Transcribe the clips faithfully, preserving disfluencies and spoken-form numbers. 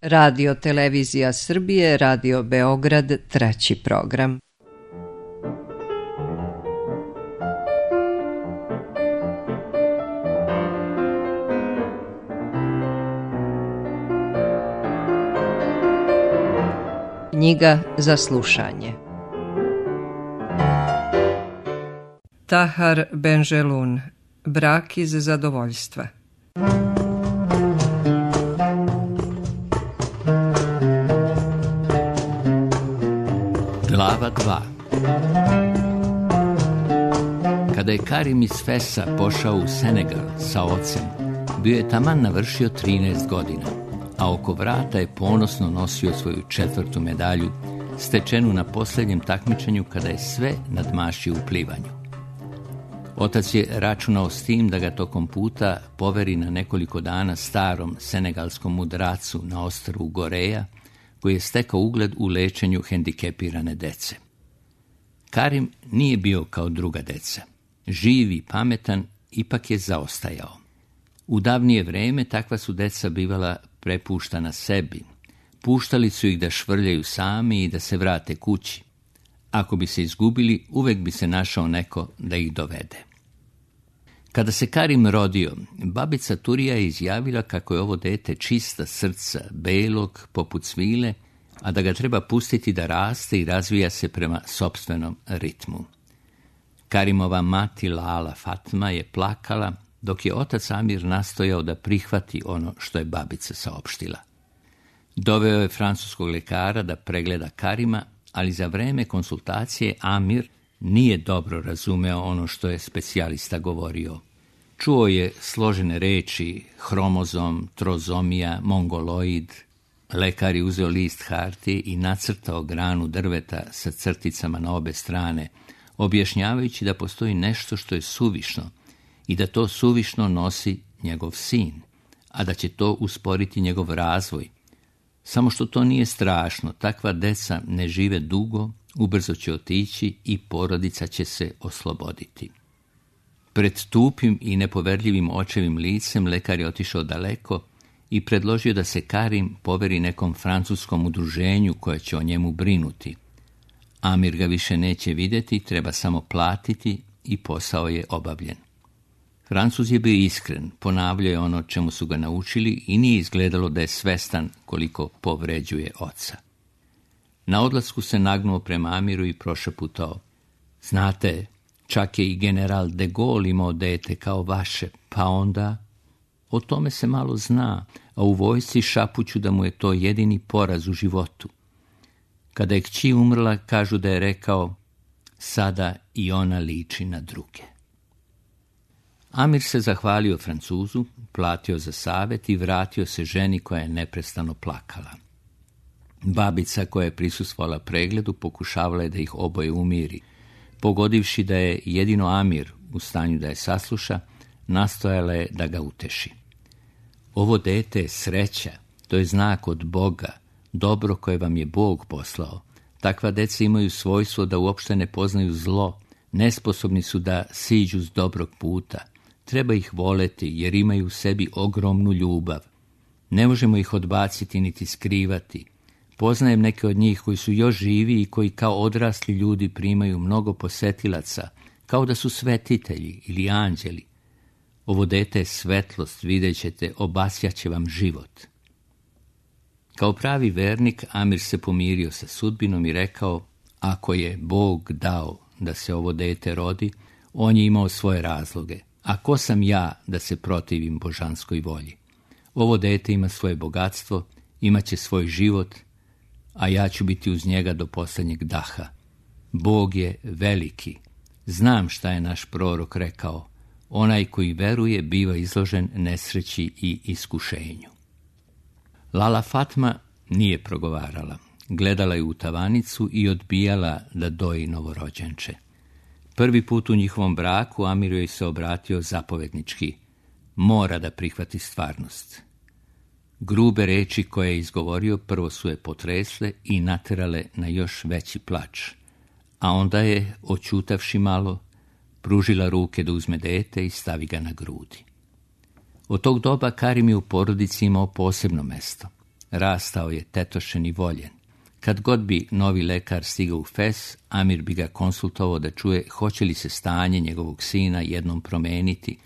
Radio Televizija Srbije, Radio Beograd, treći program. Knjiga za slušanje. Tahar Benjelun, Brak iz zadovoljstva. Glava dva. Kada je Karim iz Fesa pošao u Senegal sa ocem, bio je taman navršio trinaest godina, a oko vrata je ponosno nosio svoju četvrtu medalju, stečenu na posljednjem takmičenju kada je sve nadmašio u plivanju. Otac je računao s tim da ga tokom puta poveri na nekoliko dana starom senegalskom mudracu na ostrvu Goreja, koji je stekao ugled u lečenju hendikepirane dece. Karim nije bio kao druga deca. Živ i pametan, ipak je zaostajao. U davnije vreme takva su deca bivala prepuštana sebi. Puštali su ih da švrljaju sami i da se vrate kući. Ako bi se izgubili, uvek bi se našao neko da ih dovede. Kada se Karim rodio, babica Turija je izjavila kako je ovo dete čista srca, belog, poput svile, a da ga treba pustiti da raste i razvija se prema sopstvenom ritmu. Karimova mati Lala Fatma je plakala, dok je otac Amir nastojao da prihvati ono što je babica saopštila. Doveo je francuskog lekara da pregleda Karima, ali za vreme konsultacije Amir nije dobro razumeo ono što je specijalista govorio. Čuo je složene reči, hromozom, trozomija, mongoloid. Lekar je uzeo list hartije i nacrtao granu drveta sa crticama na obe strane, objašnjavajući da postoji nešto što je suvišno i da to suvišno nosi njegov sin, a da će to usporiti njegov razvoj. Samo što to nije strašno, takva deca ne žive dugo, ubrzo će otići i porodica će se osloboditi. Pred tupim i nepoverljivim očevim licem lekar je otišao daleko i predložio da se Karim poveri nekom francuskom udruženju koje će o njemu brinuti. Amir ga više neće vidjeti, treba samo platiti i posao je obavljen. Francuz je bio iskren, ponavljao je ono čemu su ga naučili i nije izgledalo da je svestan koliko povređuje oca. Na odlasku se nagnuo prema Amiru i prošaputao: znate, čak je i general de Gaulle imao dete kao vaše, pa onda... O tome se malo zna, a u vojsci šapuću da mu je to jedini poraz u životu. Kada je kći umrla, kažu da je rekao: sada i ona liči na druge. Amir se zahvalio Francuzu, platio za savjet i vratio se ženi koja je neprestano plakala. Babica koja je prisustvovala pregledu pokušavala je da ih oboje umiri. Pogodivši da je jedino Amir u stanju da je sasluša, nastojala je da ga uteši. Ovo dete je sreća, to je znak od Boga, dobro koje vam je Bog poslao. Takva deca imaju svojstvo da uopšte ne poznaju zlo, nesposobni su da siđu s dobrog puta. Treba ih voleti jer imaju u sebi ogromnu ljubav. Ne možemo ih odbaciti niti skrivati. Poznajem neke od njih koji su još živi i koji kao odrasli ljudi primaju mnogo posetilaca, kao da su svetitelji ili anđeli. Ovo dete je svetlost, vidjet ćete, obasjaće vam život. Kao pravi vernik, Amir se pomirio sa sudbinom i rekao: ako je Bog dao da se ovo dete rodi, on je imao svoje razloge. A ko sam ja da se protivim božanskoj volji? Ovo dete ima svoje bogatstvo, imat će svoj život, a ja ću biti uz njega do posljednjeg daha. Bog je veliki. Znam šta je naš prorok rekao: onaj koji veruje biva izložen nesreći i iskušenju. Lala Fatma nije progovarala. Gledala je u tavanicu i odbijala da doji novorođenče. Prvi put u njihovom braku Amir joj se obratio zapovednički: mora da prihvati stvarnost. Grube reči koje je izgovorio prvo su je potresle i naterale na još veći plač, a onda je, oćutavši malo, pružila ruke da uzme dete i stavi ga na grudi. Od tog doba Karim je u porodici imao posebno mesto. Rastao je tetošen i voljen. Kad god bi novi lekar stigao u Fes, Amir bi ga konsultovao da čuje hoće li se stanje njegovog sina jednom promeniti,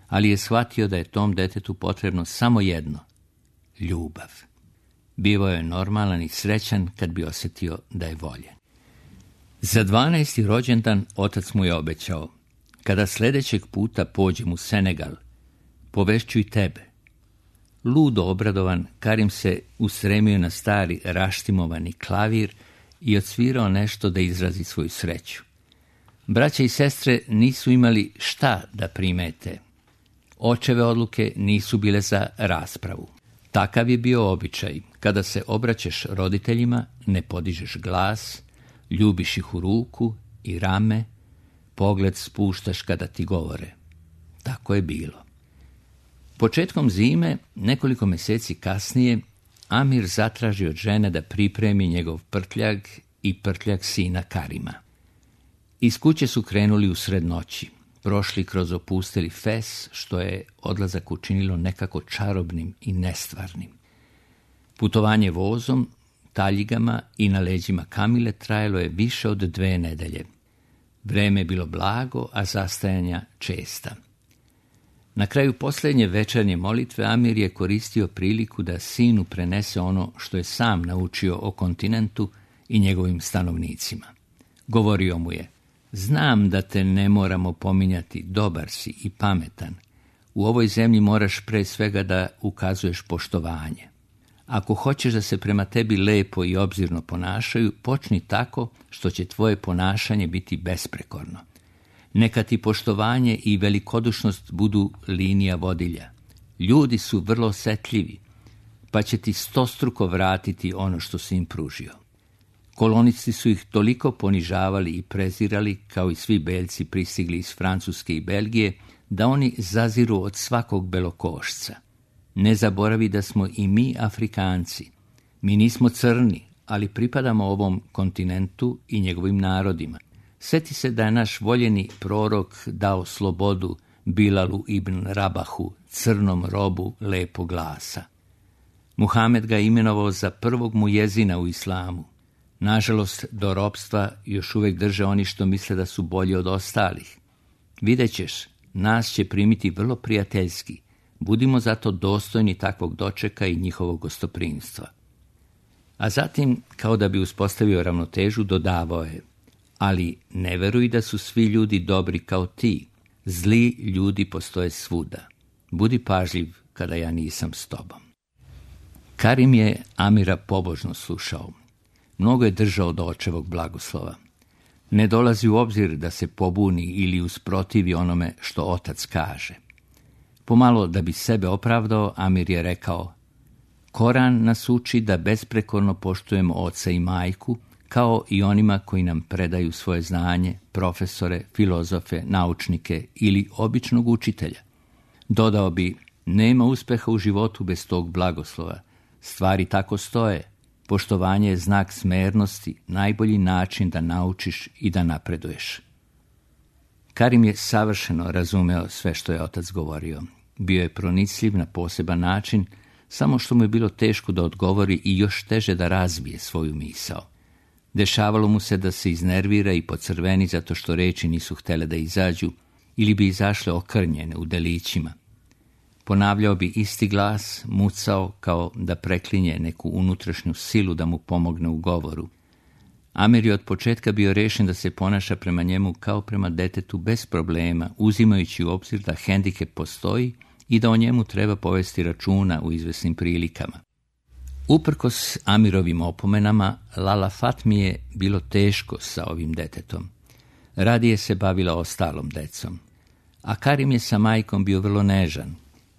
ali je shvatio da je tom detetu potrebno samo jedno – ljubav. Bivao je normalan i srećan kad bi osjetio da je voljen. Za dvanaesti rođendan otac mu je obećao: kada sljedećeg puta pođem u Senegal, povešću i tebe. Ludo obradovan, Karim se ustremio na stari raštimovani klavir i odsvirao nešto da izrazi svoju sreću. Braća i sestre nisu imali šta da primete. Očeve odluke nisu bile za raspravu. Takav je bio običaj. Kada se obraćaš roditeljima, ne podižeš glas, ljubiš ih u ruku i rame, pogled spuštaš kada ti govore. Tako je bilo. Početkom zime, nekoliko mjeseci kasnije, Amir zatraži od žene da pripremi njegov prtljag i prtljag sina Karima. Iz kuće su krenuli usred noći, prošli kroz opusteli Fes, što je odlazak učinilo nekako čarobnim i nestvarnim. Putovanje vozom, taljigama i na leđima Kamile trajalo je više od dve nedelje. Vreme je bilo blago, a zastajanja česta. Na kraju posljednje večernje molitve Amir je koristio priliku da sinu prenese ono što je sam naučio o kontinentu i njegovim stanovnicima. Govorio mu je: znam da te ne moramo pominjati, dobar si i pametan. U ovoj zemlji moraš pre svega da ukazuješ poštovanje. Ako hoćeš da se prema tebi lepo i obzirno ponašaju, počni tako što će tvoje ponašanje biti besprekorno. Neka ti poštovanje i velikodušnost budu linija vodilja. Ljudi su vrlo osjetljivi, pa će ti stostruko vratiti ono što si im pružio. Kolonisti su ih toliko ponižavali i prezirali, kao i svi Beljci pristigli iz Francuske i Belgije, da oni zaziru od svakog belokošca. Ne zaboravi da smo i mi Afrikanci. Mi nismo crni, ali pripadamo ovom kontinentu i njegovim narodima. Sjeti se da je naš voljeni prorok dao slobodu Bilalu ibn Rabahu, crnom robu lepog glasa. Muhamed ga je imenovao za prvog mujezina u islamu. Nažalost, do ropstva još uvijek drže oni što misle da su bolji od ostalih. Vidjet ćeš, nas će primiti vrlo prijateljski. Budimo zato dostojni takvog dočeka i njihovog gostoprimstva. A zatim, kao da bi uspostavio ravnotežu, dodavao je: ali ne veruj da su svi ljudi dobri kao ti. Zli ljudi postoje svuda. Budi pažljiv kada ja nisam s tobom. Karim je Amira pobožno slušao. Mnogo je držao do očevog blagoslova. Ne dolazi u obzir da se pobuni ili usprotivi onome što otac kaže. Pomalo da bi sebe opravdao, Amir je rekao: Koran nas uči da besprekorno poštujemo oca i majku, kao i onima koji nam predaju svoje znanje, profesore, filozofe, naučnike ili običnog učitelja. Dodao bi: nema uspeha u životu bez tog blagoslova. Stvari tako stoje. Poštovanje je znak smernosti, najbolji način da naučiš i da napreduješ. Karim je savršeno razumeo sve što je otac govorio. Bio je pronicljiv na poseban način, samo što mu je bilo teško da odgovori i još teže da razbije svoju misao. Dešavalo mu se da se iznervira i pocrveni zato što reči nisu htjele da izađu ili bi izašle okrnjene u delićima. Ponavljao bi isti glas, mucao kao da preklinje neku unutrašnju silu da mu pomogne u govoru. Amir je od početka bio rešen da se ponaša prema njemu kao prema detetu bez problema, uzimajući u obzir da hendikep postoji i da o njemu treba povesti računa u izvesnim prilikama. Uprkos Amirovim opomenama, Lala Fatmi je bilo teško sa ovim detetom. Radije se bavila ostalom decom. A Karim je sa majkom bio vrlo nežan.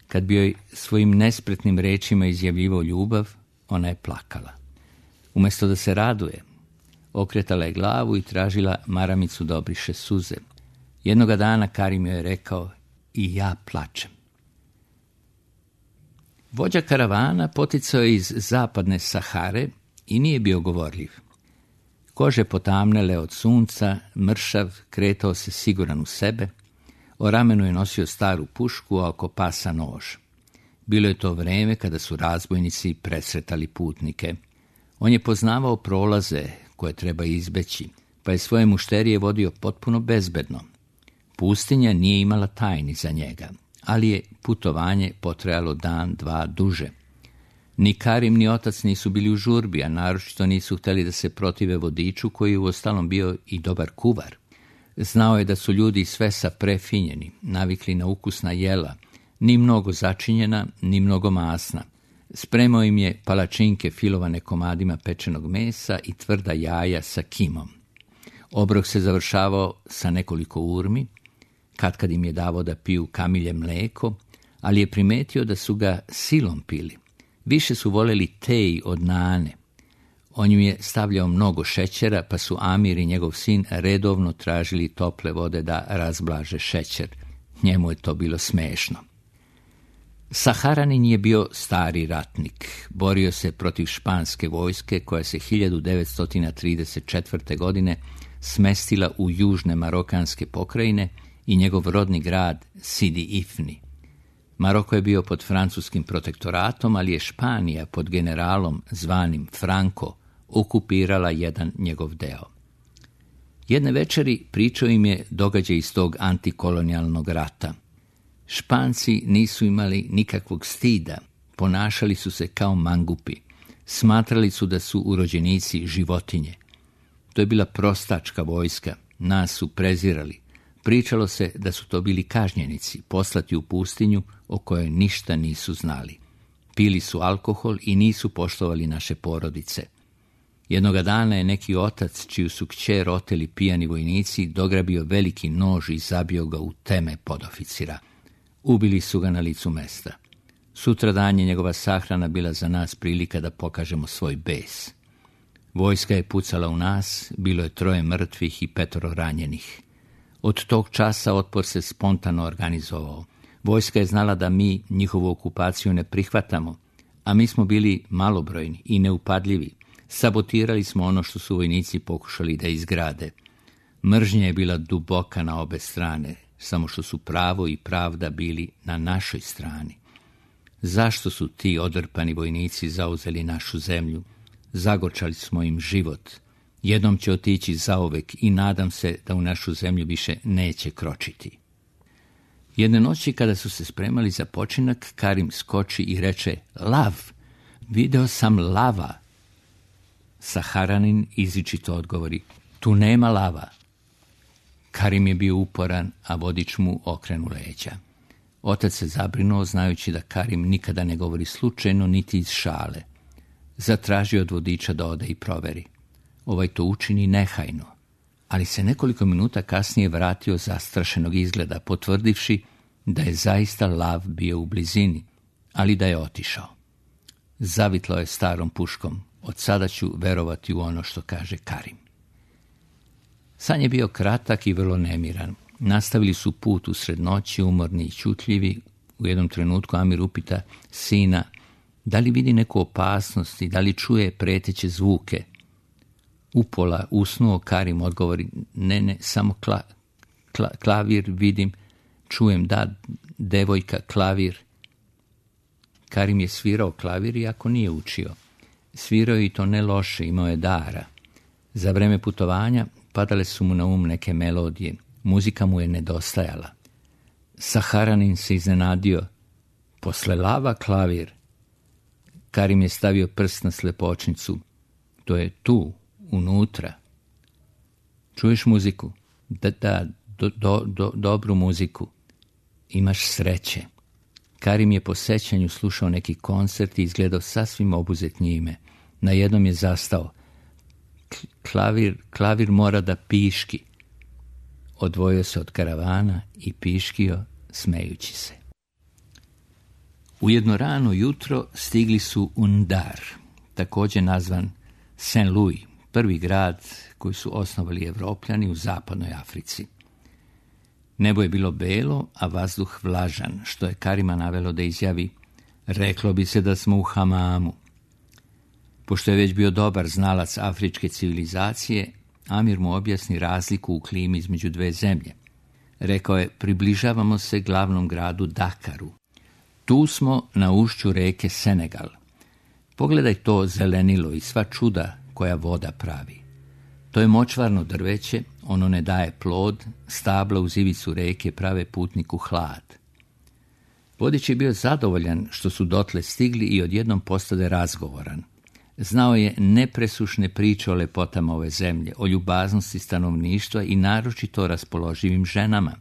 Kad bi joj svojim nespretnim rečima izjavljivao ljubav, ona je plakala. Umjesto da se raduje, okretala je glavu i tražila maramicu da obriše suze. Jednoga dana Karim joj je rekao: i ja plačem. Vođa karavana poticao je iz zapadne Sahare i nije bio govorljiv. Kože potamnele od sunca, mršav, kretao se siguran u sebe, o ramenu je nosio staru pušku, a oko pasa nož. Bilo je to vreme kada su razbojnici presretali putnike. On je poznavao prolaze koje treba izbeći, pa je svoje mušterije vodio potpuno bezbedno. Pustinja nije imala tajni za njega, ali je putovanje potrajalo dan, dva duže. Ni Karim ni otac nisu bili u žurbi, a naročito nisu htjeli da se protive vodiču koji je uostalom bio i dobar kuvar. Znao je da su ljudi sve sa prefinjeni, navikli na ukusna jela, ni mnogo začinjena, ni mnogo masna. Spremao im je palačinke filovane komadima pečenog mesa i tvrda jaja sa kimom. Obrok se završavao sa nekoliko urmi, katkad im je davao da piju kamilje mleko, ali je primetio da su ga silom pili. Više su voljeli tej od nane. On im je stavljao mnogo šećera, pa su Amir i njegov sin redovno tražili tople vode da razblaže šećer. Njemu je to bilo smešno. Saharanin je bio stari ratnik. Borio se protiv španske vojske koja se hiljadu devetsto trideset četvrte. godine smestila u južne marokanske pokrajine i njegov rodni grad Sidi Ifni. Maroko je bio pod francuskim protektoratom, ali je Španija pod generalom zvanim Franco okupirala jedan njegov deo. Jedne večeri pričao im je događaj iz tog antikolonijalnog rata. Španci nisu imali nikakvog stida, ponašali su se kao mangupi, smatrali su da su urođenici životinje. To je bila prostačka vojska, nas su prezirali. Pričalo se da su to bili kažnjenici, poslati u pustinju o kojoj ništa nisu znali. Pili su alkohol i nisu poštovali naše porodice. Jednoga dana je neki otac, čiju su kćer oteli pijani vojnici, dograbio veliki nož i zabio ga u teme podoficira. Ubili su ga na licu mesta. Sutradan je njegova sahrana bila za nas prilika da pokažemo svoj bes. Vojska je pucala u nas, bilo je troje mrtvih i petoro ranjenih. Od tog časa otpor se spontano organizovao. Vojska je znala da mi njihovu okupaciju ne prihvatamo, a mi smo bili malobrojni i neupadljivi. Sabotirali smo ono što su vojnici pokušali da izgrade. Mržnja je bila duboka na obe strane, samo što su pravo i pravda bili na našoj strani. Zašto su ti odrpani vojnici zauzeli našu zemlju? Zagorčali smo im život. Jednom će otići zauvek i nadam se da u našu zemlju više neće kročiti. Jedne noći kada su se spremali za počinak, Karim skoči i reče: "Lav! Video sam lava!" Saharanin izričito odgovori: "Tu nema lava." Karim je bio uporan, a vodič mu okrenu leđa. Otac se zabrinuo, znajući da Karim nikada ne govori slučajno niti iz šale. Zatražio od vodiča da ode i proveri. Ovaj to učini nehajno, ali se nekoliko minuta kasnije vratio zastrašenog izgleda, potvrdivši da je zaista lav bio u blizini, ali da je otišao. Zavitlo je starom puškom: "Od sada ću verovati u ono što kaže Karim." San je bio kratak i vrlo nemiran. Nastavili su put usred noći, umorni i ćutljivi. U jednom trenutku Amir upita sina da li vidi neku opasnost i da li čuje preteće zvuke. Upola usnuo, Karim odgovori: "Ne, ne, samo kla, kla, klavir vidim, čujem, da, devojka, klavir." Karim je svirao klavir iako nije učio. Svirao je i to ne loše, imao je dara. Za vreme putovanja padale su mu na um neke melodije. Muzika mu je nedostajala. Saharanin se iznenadio: "Posle lava klavir?" Karim je stavio prst na slepočnicu. "To je tu, unutra." "Čuješ muziku?" "Da, da, do, do, do, dobru muziku." "Imaš sreće." Karim je po sećanju slušao neki koncert i izgledao sasvim obuzet njime. Najednom je zastao. Klavir, klavir mora da piški." Odvojio se od karavana i piškio, smejući se. U jedno rano jutro stigli su u Ndar, također nazvan Saint Louis, prvi grad koji su osnovali Evropljani u zapadnoj Africi. Nebo je bilo belo, a vazduh vlažan, što je Karima navelo da izjavi: "Reklo bi se da smo u hamamu." Pošto je već bio dobar znalac afričke civilizacije, Amir mu objasni razliku u klimi između dve zemlje. Rekao je: "Približavamo se glavnom gradu Dakaru." Tu smo na ušću reke Senegal. Pogledaj to zelenilo i sva čuda koja voda pravi. To je močvarno drveće, ono ne daje plod, stabla uz ivicu reke prave putniku hlad. Vodič je bio zadovoljan što su dotle stigli i odjednom postade razgovoran. Znao je nepresušne priče o lepotama ove zemlje, o ljubaznosti stanovništva i naročito o raspoloživim ženama.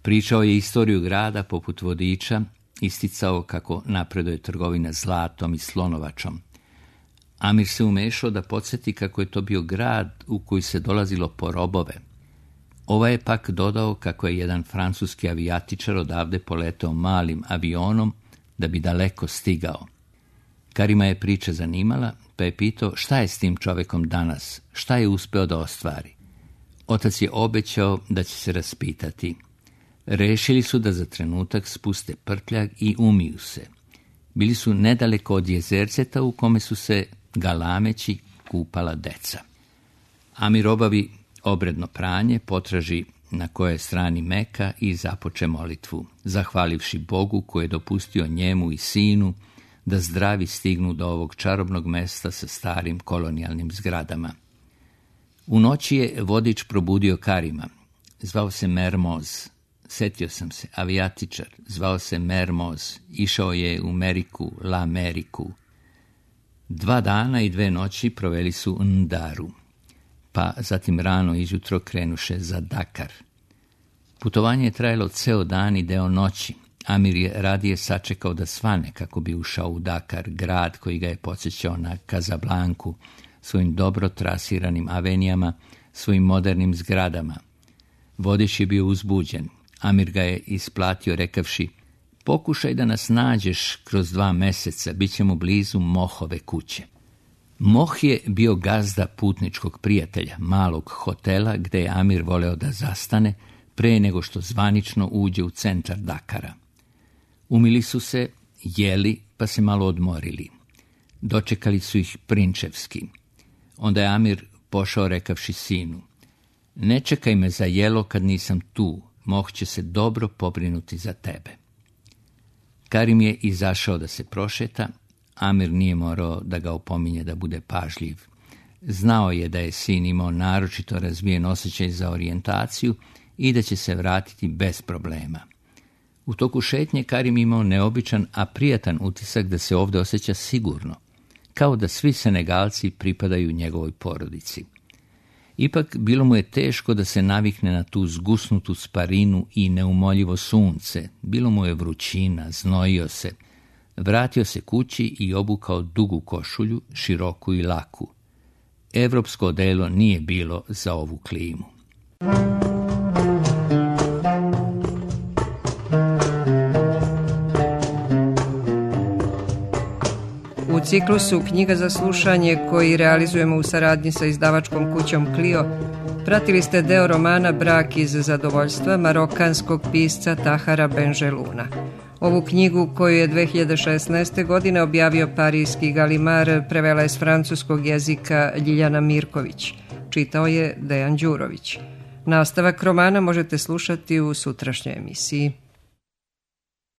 Pričao je istoriju grada poput vodiča, isticao kako napreduje trgovina zlatom i slonovačom. Amir se umešao da podsjeti kako je to bio grad u koji se dolazilo po robove. Ovaj je pak dodao kako je jedan francuski avijatičar odavde poletao malim avionom da bi daleko stigao. Karima je priča zanimala, pa je pitao šta je s tim čovekom danas, šta je uspeo da ostvari. Otac je obećao da će se raspitati. Rešili su da za trenutak spuste prtljag i umiju se. Bili su nedaleko od jezerceta u kome su se galameći kupala deca. Amir obavi obredno pranje, potraži na kojoj strani Meka i započe molitvu, zahvalivši Bogu koji je dopustio njemu i sinu da zdravi stignu do ovog čarobnog mesta sa starim kolonijalnim zgradama. U noći je vodič probudio Karima. Zvao se Mermoz. Setio sam se, avijatičar. Zvao se Mermoz. Išao je u Meriku, La Meriku. Dva dana i dve noći proveli su u Ndaru, pa zatim rano izjutro krenuše za Dakar. Putovanje je trajalo ceo dan i deo noći. Amir je radije sačekao da svane kako bi ušao u Dakar, grad koji ga je podsjećao na Kazablanku, svojim dobro trasiranim avenijama, svojim modernim zgradama. Vodič je bio uzbuđen. Amir ga je isplatio rekavši: pokušaj da nas nađeš kroz dva meseca, bit ćemo blizu Mohove kuće. Moh je bio gazda putničkog prijatelja, malog hotela gde je Amir voleo da zastane pre nego što zvanično uđe u centar Dakara. Umili su se, jeli, pa se malo odmorili. Dočekali su ih prinčevski. Onda je Amir pošao rekavši sinu: ne čekaj me za jelo kad nisam tu, Moh će se dobro pobrinuti za tebe. Karim je izašao da se prošeta. Amir nije morao da ga opominje da bude pažljiv. Znao je da je sin imao naročito razvijen osjećaj za orijentaciju i da će se vratiti bez problema. U toku šetnje Karim imao neobičan, a prijatan utisak da se ovdje osjeća sigurno, kao da svi Senegalci pripadaju njegovoj porodici. Ipak bilo mu je teško da se navikne na tu zgusnutu sparinu i neumoljivo sunce. Bilo mu je vrućina, znojio se. Vratio se kući i obukao dugu košulju, široku i laku. Evropsko odelo nije bilo za ovu klimu. U ciklusu Knjiga za slušanje, koji realizujemo u saradnji sa izdavačkom kućom Clio, pratili ste deo romana Brak iz zadovoljstva marokanskog pisca Tahara Benjeluna. Ovu knjigu, koju je dve hiljade šesnaeste. godine objavio parijski Galimar, prevela je s francuskog jezika Ljiljana Mirković. Čitao je Dejan Đurović. Nastavak romana možete slušati u sutrašnjoj emisiji.